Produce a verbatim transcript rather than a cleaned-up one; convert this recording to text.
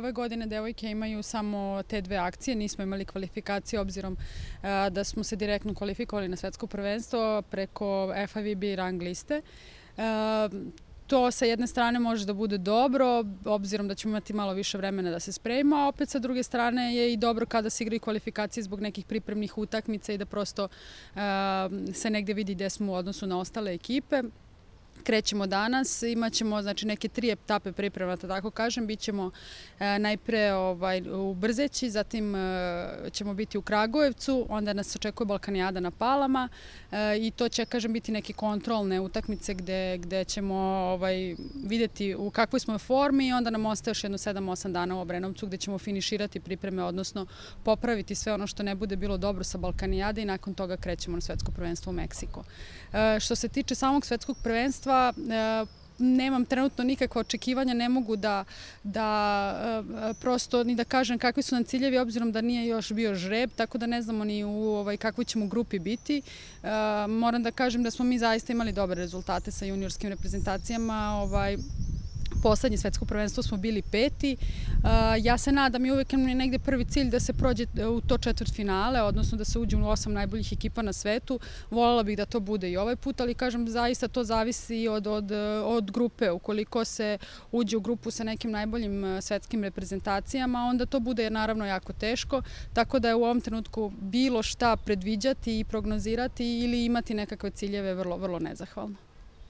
ove godine devojke imaju samo te dve akcije, nismo imali kvalifikacije obzirom da smo se direktno kvalifikovali na svetsko prvenstvo preko F I V B rang liste. To sa jedne strane može da bude dobro, obzirom da ćemo imati malo više vremena da se spremimo, a opet sa druge strane je i dobro kada se igraju kvalifikacije zbog nekih pripremnih utakmica i da prosto se negde vidi gde smo u odnosu na ostale ekipe. Krećemo danas, imat ćemo znači, neke tri etape priprema, da tako kažem. Bićemo e, najpre ovaj, u Brzeći, zatim e, ćemo biti u Kragujevcu, onda nas očekuje Balkanijada na Palama e, i to će, kažem, biti neke kontrolne utakmice gde, gde ćemo ovaj, videti u kakvoj smo formi i onda nam ostaje još jedno sedam osam dana u Obrenovcu gde ćemo finiširati pripreme, odnosno popraviti sve ono što ne bude bilo dobro sa Balkanijade i nakon toga krećemo na svetsko prvenstvo u Meksiku. E, što se tiče samog svetskog prvenstva, nemam trenutno nikakva očekivanja, ne mogu da, da prosto ni da kažem kakvi su nam ciljevi, obzirom da nije još bio žreb, tako da ne znamo ni u ovaj, kakvoj ćemo grupi biti. Moram da kažem da smo mi zaista imali dobre rezultate sa juniorskim reprezentacijama. Ovaj, Poslednje svetsko prvenstvo smo bili peti. Ja se nadam i uvek je negde prvi cilj da se prođe u to četvrtfinale, odnosno da se uđe u osam najboljih ekipa na svetu. Voljela bih da to bude i ovaj put, ali kažem zaista to zavisi od, od, od grupe. Ukoliko se uđe u grupu sa nekim najboljim svetskim reprezentacijama, onda to bude naravno jako teško, tako da je u ovom trenutku bilo šta predviđati i prognozirati ili imati nekakve ciljeve vrlo, vrlo nezahvalno.